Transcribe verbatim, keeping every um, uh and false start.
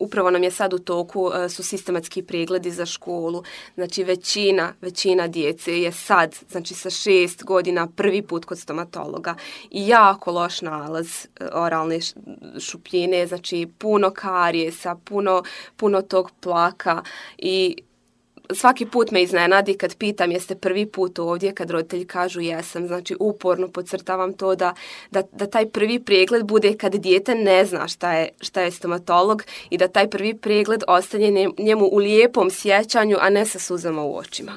upravo nam je sad u toku uh, su sistematski pregledi za školu. Znači većina, većina djece je sad, znači sa šest godina prvi put kod stomatologa i jako loš nalaz uh, oralne šupljine, znači puno karijesa, puno, puno tog plaka i svaki put me iznenadi kad pitam jeste prvi put ovdje, kad roditelji kažu jesam. Znači uporno podcrtavam to da, da, da taj prvi pregled bude kad dijete ne zna šta je, šta je stomatolog i da taj prvi pregled ostane njemu u lijepom sjećanju, a ne sa suzama u očima.